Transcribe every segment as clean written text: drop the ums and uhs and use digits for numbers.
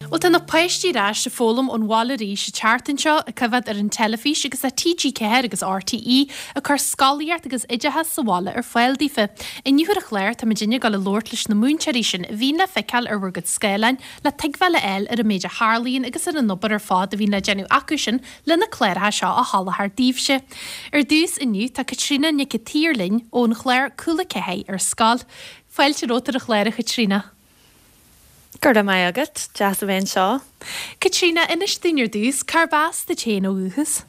Bhuel tá na páistí ar ais ag foghlaim ón bhaile arís an tseachtain seo, ag coimhéad ar an teilifís agus tá TG4 agus RTÉ ag cur scolaíocht agus oideachas sa bhaile ar fáil daofa. Inniu ar an chlár tá muidinne ag dul a labhairt leis na múinteoirí sin a bhíonn le feiceáil ar bhur gcuid scáileáin le tuigbheáil a fháil ar an méid a tharlaíonn agus ar an obair ar fad a bhíonn le déanamh acu sin le na cláracha seo a sholáthar daoibhse. Ar dtús inniu tá Caitríona Nic an tSaoir linn ón chlár Cúla 4 ar Scoil. Fáilte romhat ar an chlár a Chaitríona. Go raibh maith agat, deas a bheith anseo. Caitríona, inis dúinn ar dtús, cárb as duit féin ó dhúchas?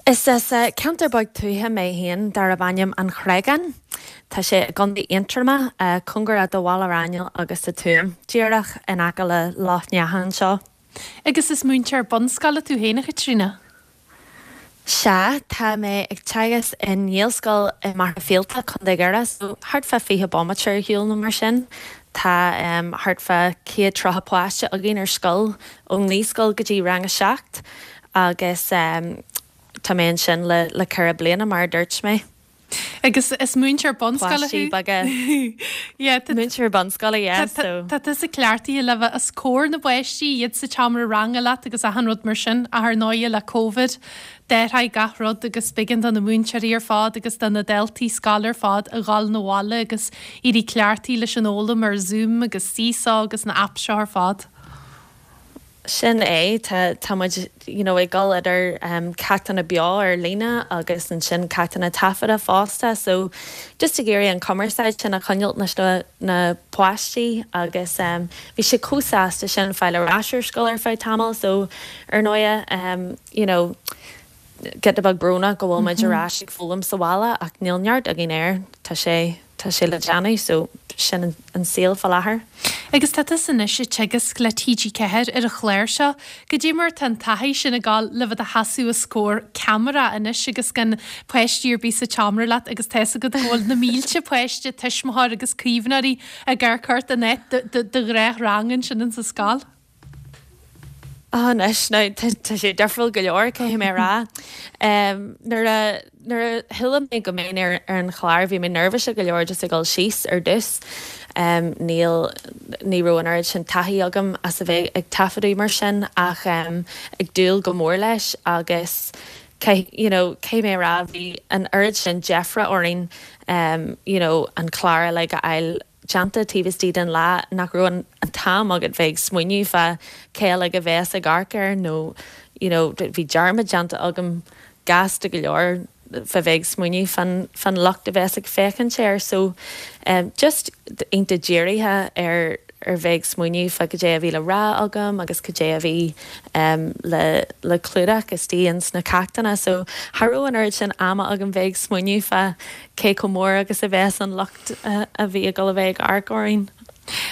Is as ceantar beag tuaithe mé féin darb ainm An Chreagán. Tá sé i gContae Aontroma, cóngarach do Bhaile Raghnaill agus do Tuaim, díreach in aice le Loch Neacha anseo. Agus is múinteoir bunscoile tú féin, a Chaitríona? Sea, tá mé ag teagasc i nGaelscoil i Machaire Fíolta, Contae Dhoire, so thart fá 20 bomaite ar shiúl nó mar sin. Tá thart fá 130 páiste againn ar scoil, ón naíscoil go dtí rang a 7, agus tá mé ansin le le ceithre bliana, mar a dúirt mé. Agus is múinteoir bunscoile thú? Páistí beaga. Yeah, tá. Múinteoir bunscoile, yeah, so. Tá tusa cleachtaithe le bheith os comhair na bpáistí, iad sa tseomra ranga leat agus achan rud mar sin, ach ar ndóighe le Covid, d'athraigh gach rud agus b'éigean do na múinteoirí ar fad agus do na daltaí scoile ar fad a dhul 'na bhaile agus éirí cleachtaithe leis an fhoghlaim ar Zoom agus Seesaw agus na apps seo ar fad. Sin é, tá, tá muid, you know, ag dul idir ceachtanna beo ar líne agus ansin ceachtanna taifeadta fosta so just ag iarraidh an cumarsáid sin a choinneáilt leis na, na páistí agus bhí siad chomh sásta sin fáil ar ais ar scoil ar feadh tamaill so ar ndóighe, you know, giota beag brónach go bhfuil muid ar ais ag foghlaim sa bhaile ach níl neart againn air, tá sé, tá sé le déanamh so sin an saol fá láthair. Agus tá tusa anois ag teagasc le TG4 ar an chlár seo, goidé mar tá an taithí sin ag gabháil le bheith i do sheasamh os comhair ceamara anois agus gan páistí ar bith sa tseomra leat agus tá fhios agat go bhfuil na mílte páiste, tuismitheoir agus caomhnóirí ag amharc ort in áit do ghnáthrang ansin insa scoil? Anois, now, tá sé difriúil go leor, caithfidh mé a rá. Nuair a, nuair a chuala mé go mbeinn ar an chlár, bhí mé neirbhíseach go leor just ag dul síos ar dtús. Níl, ní raibh an oiread sin taithí agam as a bheith ag taifeadadh mar sin ach ag dúil go mór leis agus caith, you know, caithfidh mé a rá, bhí an oiread sin deifre orainn, you know, an clár uilig a fháil déanta taobh istigh den lá nach raibh an t-am agat bheith ag smaoineamh fá cé uilig a bheas ag amharc air nó you know bhí dearmad déanta agam gasta go leor fá bheith ag smaoineamh fán fán lucht a bheas ag féachaint air so just iontach dírithe ar ar bheith ag smaoineamh fá cad é a bhí le rá agam agus cad é a bhí le le clúdach istigh ins na ceachtanna so cha raibh an oiread sin ama agam bheith ag smaoineamh fá cé chomh mór agus a bheas an lucht a bhí ag dul a bheith ag amharc orainn.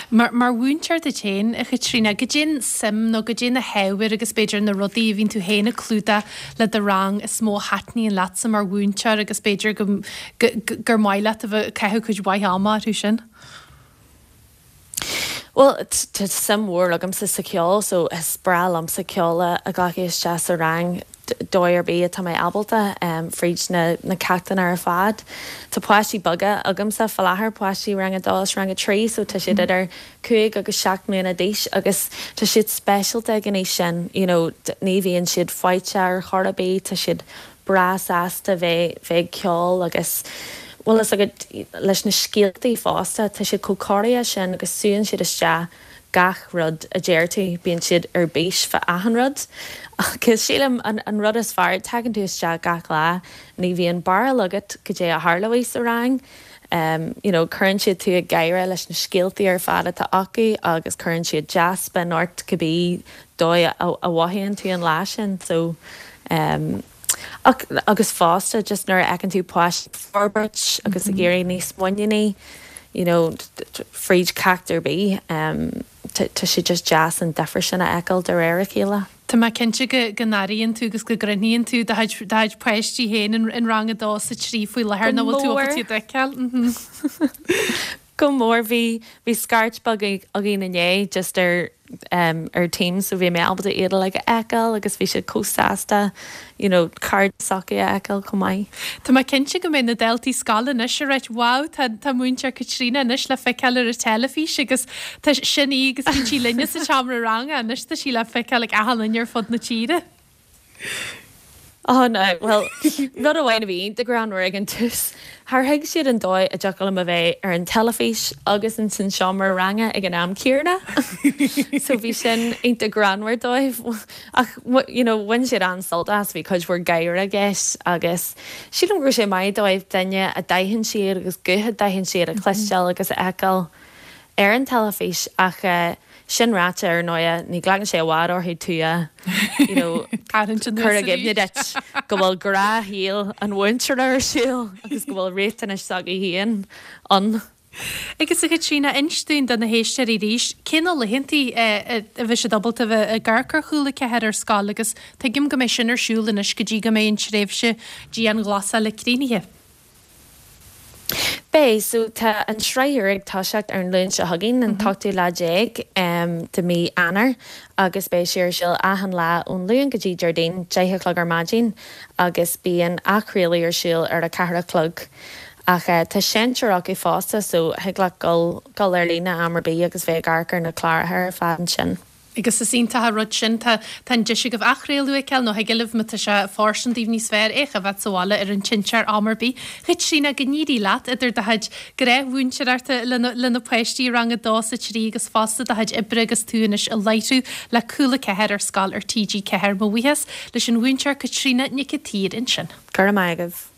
Mar mhúinteoir duit féin, a Chaitríona, goidé an suim nó goidé na hábhair agus b'fhéidir na rudaí a bhíonn tú féin ag clúdach le do rang is mó a thaitníonn leatsa mar mhúinteoir agus b'fhéidir go gur maith leat a bheith ag caitheamh cuid mhaith ama orthu sin? Bhuel, tá suim mhór agamsa sa cheol so is breá liomsa ceol a ghlacadh isteach sa rang dóigh ar bith atá mé ábalta, fríd na na ceachtanna ar fad. Tá páistí beaga agamsa fá láthair, páistí rang a dó is rang a trí, so tá siad idir cúig agus seacht mbliana d'aois agus tá siad speisialta ag an aois sin, you know, ní bhíonn siad faighte ar chor ar bith, tá siad breá sásta bheith bheith ag ceol agus bhfuil fhios agat leis na scéaltaí fosta, tá siad chomh corraithe sin agus súann siad isteach gach rud a deir tú, bíonn siad ar bís fá achan rud agus sílim an an rud is fearr, tagann tú isteach gach lá, ní bhíonn barúil agat goidé a tharlóidh sa rang, you know cuireann siad tú ag gáire leis na scéaltaí ar fad atá acu agus cuireann siad dea-spion ort cibé dóigh a mhothaíonn tú an lá sin so ach agus fosta just nuair a fheiceann tú páistí ag forbairt agus ag éirí níos muiníní you know fríd ceacht ar bith tá sé just deas an difear sin a fheiceáil de réir a chéile. Tá mé cinnte go go n-airíonn tú agus go gcrothnaíonn tú do chuid do chuid páistí féin in rang a dó is a trí faoi láthair nach bhfuil tú ábalta iad a fheiceáil. Go mór. Bhí bhí scairt beag againn inné just ar. ar Teams so bhí mé ábalta iad uilig a fheiceáil agus bhí siad chomh sásta you know cairde s'acu a fheiceáil chomh maith. Tá mé cinnte go mbeidh na daltaí scoile anois ag ráit wow tá tá múinteoir Caitríona anois le feiceáil ar an teilifís agus tá sin í agus bíonn sí linne sa tseomra ranga anois tá sí le feiceáil ag achan duine ar fud na tíre. Oh no, bhuel, rud amháin a bhí iontach greannmhar ag an tús, char thuig siad an dóigh a dtiocfadh liom a bheith ar an teilifís agus ins an seomra ranga ag an am céanna. So bhí sin iontach greannmhar dóibh. Ach, you know, bhain siad an-sult as, bhí cuid mhór gáire i gceist agus sílim go raibh sé maith dóibh duine a d'aithin siad agus guth a d'aithin siad a chloisteáil agus a fheiceáil ar an teilifís ach sin ráite, ar ndóighe, ní ghlacann sé i bhfad orthu tú a, you know, cur i gcuimhne duit go bhfuil gnáthshaol an mhúinteora ar siúl agus go bhfuil riachtanais s'acu féin ann. Agus a Chaitríona, inis dúinn do na héisteoirí arís, cé na laethantaí a bheidh siad ábalta a bheith ag amharc ar Chúla 4 ar scoil agus tuigim go mbeidh sin ar siúl anois go dtí go mbeidh an tréimhse dianghlasála críochnaithe. Beidh, so tá an tsraith úr ag toiseacht ar an Luan seo chugainn, an t-ochtú lá déag de mhí Eanáir agus beidh sé ar siúl achan lá ón Luan go dtí Déardaoin, 10 a chlog ar maidin agus bíonn athchraoladh ar siúl ar a 4 a chlog. Ach tá seinnteoir acu fosta so thig leat dul dul ar líne am ar bith agus bheith ag amharc ar na cláracha ar fad ansin. Agus is iontach an rud sin. Tá an deis agaibh athchraoladh a fheiceáil nó thig libh, má tá sé fóirsteanach daoibh níos fearr, é a choimhéad sa bhaile ar an tseinnteoir am ar bith. A Chaitríona, go n-éirí leat idir do chuid gnáthmhúinteoireachta le na páistí i rang a dó is a trí agus fosta do chuid oibre agus tú anois ag láithriú le Cúla 4 ar scoil ar TG4. Mo bhuíochas leis an mhúinteoir Caitríona Nic an tSaoir ansin. Go raibh maith agaibh.